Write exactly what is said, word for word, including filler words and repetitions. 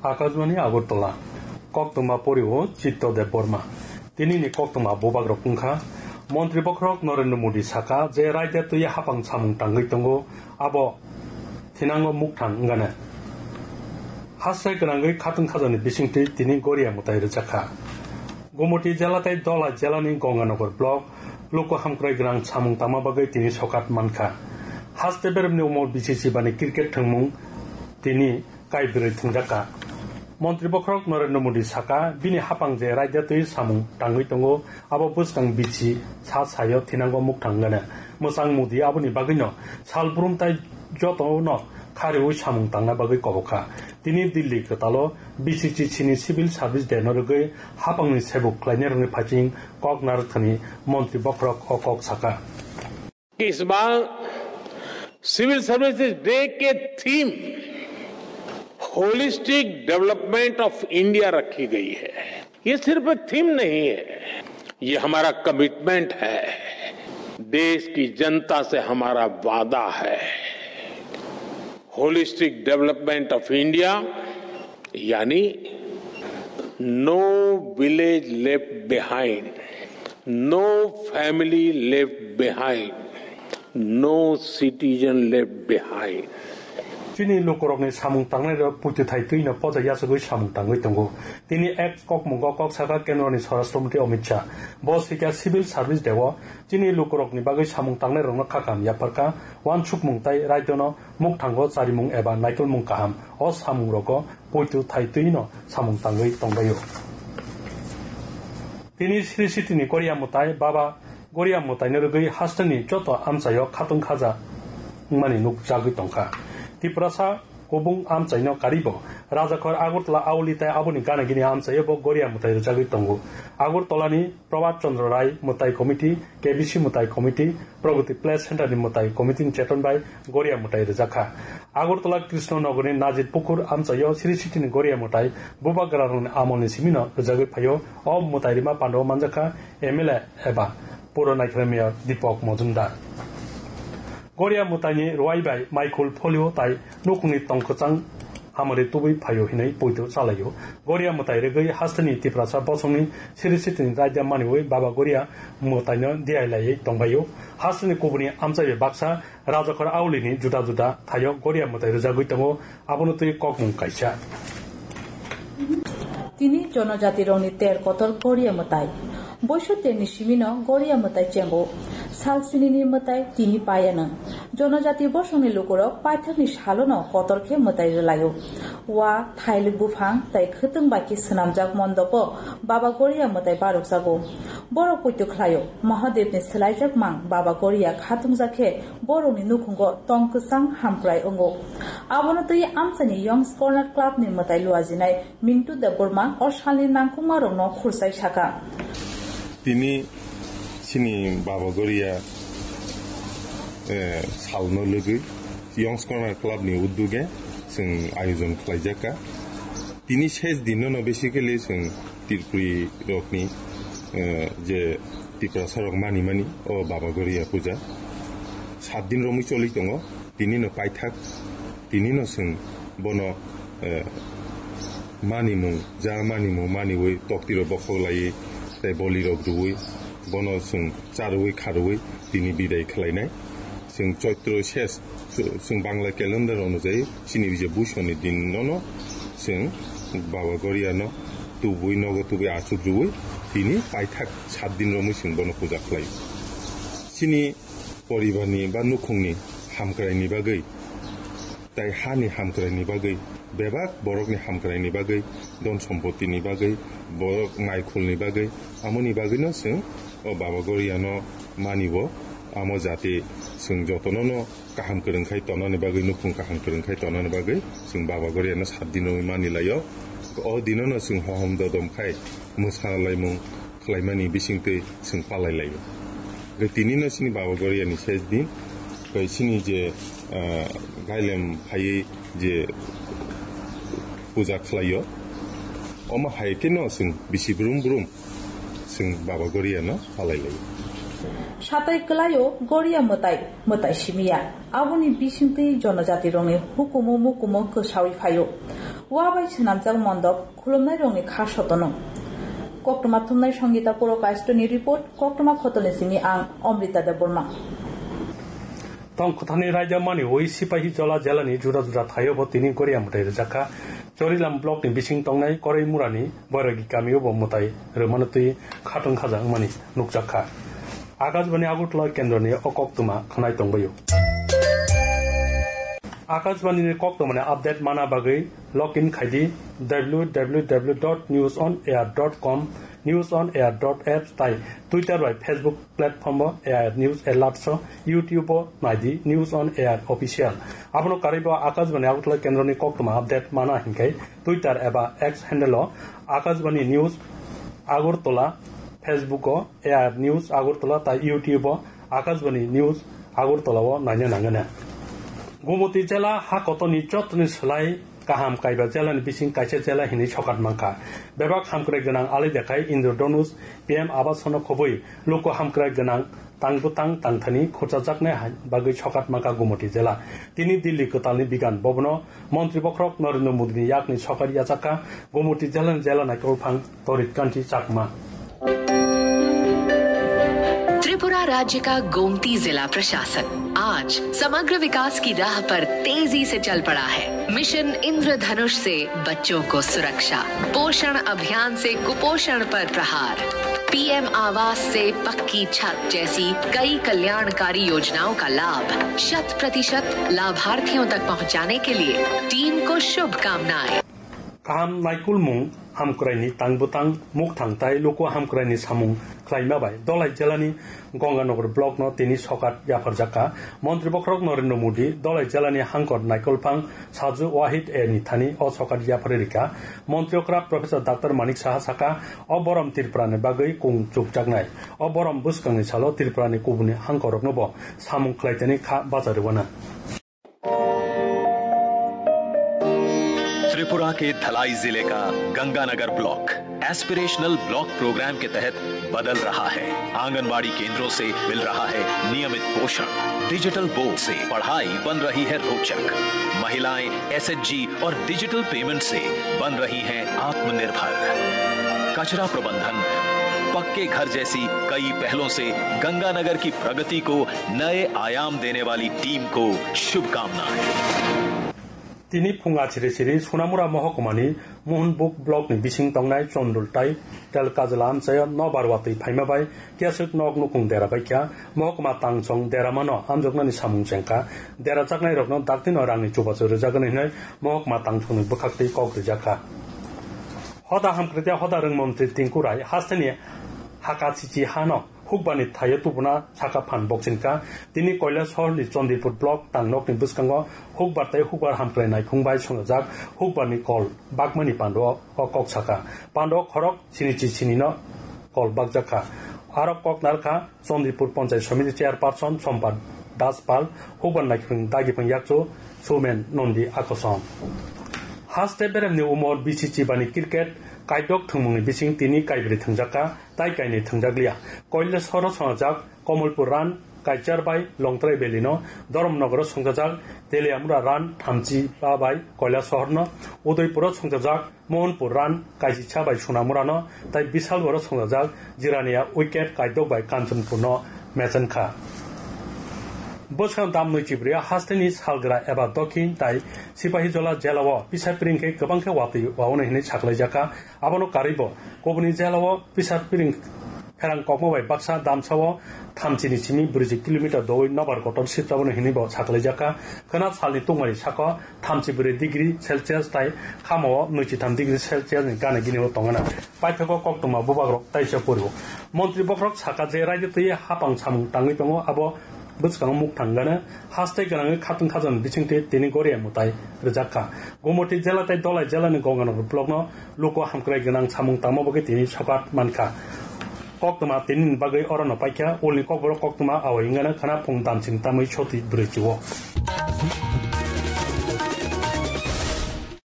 Akashbani Agartala, koktwma pori o Chitto Debbarma. Tinini koktwma bubagrok wngkha, Montri bokhorok Narendra Modi saka je raida twi hapang samung tangwi tongo, abo thinango mukthang wngana. Haste gwnangwi khatungkhajani bisingtwi tini Goria mwtai rwjakha. Gumoti jela tei Dholai jelani Ganganagar block luku hamkrai gwnang samung tangma bagwi tini sokat mankha. Haste beremni umor bisi sibani cricket thwngmung tini kaibrwi thwngjakha. Montri bokhorok Narendra Modi saka, bini hapang je raida twi samung tangwi tongo, abo bwskang bisi sa sayo thinango mukthang gana. Mwchang Modi aboni bagwino sal brum tai jotono khariui samung tangna bagwi kobokha. Tini Delhi kwtalo B C C C ni Civil Service Day no rwgwi hapangni sebuk khlainai rokni phaising kok narwkthani Montri bokhorok o kok saka. इस बार civil services day के theme holistic development of India रखी गई है। ये सिर्फ एक थीम नहीं है, ये हमारा कमिटमेंट है, देश की जनता से हमारा वादा है। होलिस्टिक डेवलपमेंट ऑफ इंडिया यानी no village left behind, no family left behind, no citizen left behind. Chini lukurokni samung tangnai rok puitu thai twi no poja yasugwi samung tangwi tongo. Tini ex kokmungo kok saka kendroni Swarashtra Mantri Amit Shah. Bo swikha Civil Service Day o chini lukurokni bagwi samung tangnai rokno khakam yapharkha, wansukmung tai raidano mukthango charimung eba naitolmung kaham o samung rogo puitu thai twi no samung tangwi tongbaio. Tini Sri City ni Goria mwtai Baba Goria mwtaino rwgwi hasteni joto amchaio khatung khaja wngmani nukjagwi tongkha. Tiprasa kubung amchaino karibo Rajakhor Agartala Auli tai aboni gana gini amchaio bo Goria mwtai rwjagwi tongo. Agartala ni Prabhat Chandra Rai mwtai committee, K B C mwtai committee, Pragati Play Center ni mwtai committee ni cheton bai Goria mwtai rwjakha. Agartala Krishna Nagar ni Najit Pukur amchaio Sri City ni Goria mwtai bubagra rokni amol ni simino rwjagwi phaio. O mwtai rima pandao manjakha M L A eba Puro Naikhlai Mayor Deepak Majumdar. Goria mwtaini rwai bai maikhul pholio tai nukhungni tong kwchang hamari tubui phaio hinwi poito chalaio. Goria mwtai rwgwi hasteni Tiprasa bosongni Sri City ni raida maniwi Baba Goria mwtaino diailaiwi tongbaio. Hasteni kubuni amchai bai baksa Rajakhor Auli ni juda juda thaio Goria mwtai rwjagwi tongo. Abono twi kokmung kaisa. Tini jonojati rokni ter kotor Goria mwtai. Boiso terni simino Goria mwtai chengo. Sal sinini mwtai tini payano. Jonojati bosongni lukurok paithakni salono kotor khe mwtai rwlaio. Wa, thailik buphang tai khwtwng bai khe swnamjak mondopo Baba Goria mwtai barokjago. Borok poito khlaio. Mahadevni swlaijak mang Baba Goria khatungjak khe borokni nukhungo tong kwchang hamkrai wngo. Abono twi amchaini Young's Corner Club ni mwtai luajinai Mintu Debbarma o salni nangkukmarokno khursai sakha. Tini chini Baba Goria, eh, salno lwgwi Young's Corner Club ni udduge chwng ayojon khlaijakha. Tini ses dinno no basically chwng Tripuri rokni, eh, je Tiprasa rok mani mani o Baba Goria puja sat din romwi choli tongo. Tini no paithak, tini no chwng bono, eh, manimung, ja manimung maniwi toktiro bokhok laiwi tei boli rok rwui bono chwng charwui kharwui tini bidai khlainai. Chwng Choitro ses, chwng Bangla calendar onujai chini je buisoni din nono chwng Baba Goria no tubui nogo tubui achuk rwui tini paithak sat din romwi chwng bono puja khlai. Chini poribarni ba nukhungni hamkraini bagwi, tai hani hamkraini bagwi, bebak borokni hamkraini bagwi, don sompotini bagwi, borok naikhulni bagwi, amoni bagwino chwng o Baba Goriano manibo, amo jati chwng jotonono kaham kwrwng khai tonani bagwi, nukhung kaham kwrwng khai tonani bagwi chwng Baba Goriano sat dino mani laio. O dinono chwng hohom dodom khai mwsa laimung khlaimani bisingtwi chwng palai laio. Tei tinino chini Baba Goriani ses din, tei chini je, ah, gailem phaiwi je puja khlaio, omo hai kheno chwng bisi brum brum chwng Baba Goriano palai laio. Satai kwlaio Goria mwtai, mwtai simiya. Aboni bisingtwi jonojati rokni hukumu mukumu kwsawi phaio. Wa bai swnamjak mondop khulumnairokni kha sotono. Koktwma thumnai Songita Purokaisto ni report, koktwma khotoni simi ang Omrita Debbarma. Tong kwthani raida mani wi Sipahi Jola jela ni juda juda thaio bo tini goria mwtai rwjak kha. Chorilam block ni bising tongnai Koraimura ni Boiragi kamio bo mwtai rwmano twi khatwng khaja wngmani nukjak kha. Akashbani Agartala kendro ni o koktwma khwnai tongbaio. Akashbani ni koktwma ni update mana bagwi log in khai di w w w dot news on air dot com, news on air dot apps tai Twitter bai Facebook platform o A I R News Alerts o, YouTube o nai di News on Air Official. Abono karwi bo Akashbani Agartala kendro ni koktwma update mana hinkhe Twitter eba X handle o Akashbani News Agartala, Facebook o A I R News Agartala tai YouTube o Akashbani News Agartala o naina nangana. Gumoti jela ha kotoni jotoni slai kaham kaiba jela ni bising kaisa jela hinwi sokat mankha. Bebak hamkrai gwnang alai dekhai Indradhanush P M Awas no khobwi luku hamkrai gwnang tang bwtang tangthani khurchajaknai hai bagwi sokat mankha Gumoti jela. Tini Delhi kwtalni bigan bobono Montri bokhorok Narendra Modi ni yakni sokat yachakha Gumoti jela ni jela naikolphang Torit Kanti Chakma. Tripura राज्य का गोमती जिला प्रशासन आज समग्र विकास की राह पर तेजी से चल पड़ा है। मिशन इंद्रधनुष से बच्चों को सुरक्षा, पोषण अभियान से कुपोषण पर प्रहार, पीएम आवास से पक्की छत जैसी कई कल्याणकारी योजनाओं का लाभ शत प्रतिशत लाभार्थियों तक पहुंचाने के लिए टीम को शुभकामनाएं। Kaham naikolmung hamkraini tang bwtang mukthang tai luku hamkraini samung khlaima bai Dolai jelani Ganganagar block no tini sokat yapharjakha. Montri bokhorok Narendra Modi Dolai jelani hangkor naikolphang Saju Wahid A ni thani o sokat yapharwi rikha. Montri okra Professor Doctor Manik Saha sakha, o borom Tripura ni bagwi kung chukjaknai. O borom bwskangni salo Tripura ni kubuni hangkorokno bo samung khlaitani kha bacha rwna. Tripura के धलाई जिले का Ganganagar block aspirational block programme के तहत बदल रहा है। आंगनबाड़ी केंद्रों से मिल रहा है नियमित पोषण, डिजिटल बोर्ड से पढ़ाई बन रही है रोचक, महिलाएं एसएचजी और डिजिटल पेमेंट से बन रही हैं आत्मनिर्भर। कचरा प्रबंधन, पक्के घर जैसी कई पहलों से गंगानगर की प्रगति को नए आयाम देने वाली टीम को शुभकामनाएं। Tini phung achiri chiri Sonamura mohokuma ni Mohanbug block ni bising tongnai Chondul tai Telkajla amchaio nobar watwi phaima bai keswk nok nukung dera baikha. Mohokuma tangchong deramano amjoknani samung chengkha. Derajaknairokno daktino rangni chubachu rwjagani hwnwi mohokuma tangchongni bwkhaktwi kok rijakha. Hoda hamkrai tei hoda rwng montri Tinku Rai hasteni Hakachichi hano hukbarni thaio tubuna saka phan bokchingkha. Tini Kailasahorni Chandipur block tangnokni bwskango hukbar tei hukbar hamkrai naiphung bai swngjak hukbarni kol bakmani pando o kok saka. Pando khorok sinichi sinino kol bakjakha. Aro kok narkha Chandipur Panchayat Samiti Chairperson Sompat Das Pal, hukbar naiphung dagipang yakchu Sumen Nondi Akosong. Haste beremni umor bisi chibani cricket kaidok thwngmungni bising tini kaibrwi thwngjakha. Tai kainwi thwngjak liya. Koilesoro swngjak Komolpur run, Kaichar bai Longtrai Valley no, Dharmanagar o swngjak Teliamura run, Thamchi ba bai Kailasahar no, Udaipur o swngjak Mohanpur run, Kaisisa bai Sonamura no, tai Bisalgor o swngjak Jirania wicket kaidok bai Kanchanpur no mechenkha. Bwskang dam nwi chibrwi hasteni salgra eba dokhin tai Sipahijola jela o pisa piring khe kwbang khe watwi waono hinwi saklaijakha. Abono karwi bo kubuni jela o pisa piring pherang kokma bai baksa damsa o thamchi ni simi brwiji kilometer doui nobar kotor sitraboni hinwi bo saklaijakha. Khwna salni tungmani saka o thamchi brwi degree Celsius tai khama o nwichi tham degree Celsius ni gana gini o tongana. Paithago koktwma bubagrok taisa pori o. Montri bokhorok saka je raida twi hapang samung tangwi tongo, abo bwskango mukthang gana haste gwnangwi khatwng khajani bisingtwi tini goria mwtai rwjak kha. Gumoti jela tei Dolai jelani Gonganagar blockno luku hamkrai gwnang samung tangma bagwi tini sokat mankha. Koktwma tinini bagwi orono paikha, ulni kokborok koktwma awai wngano khwna phung damching tamwi soti brwi chio.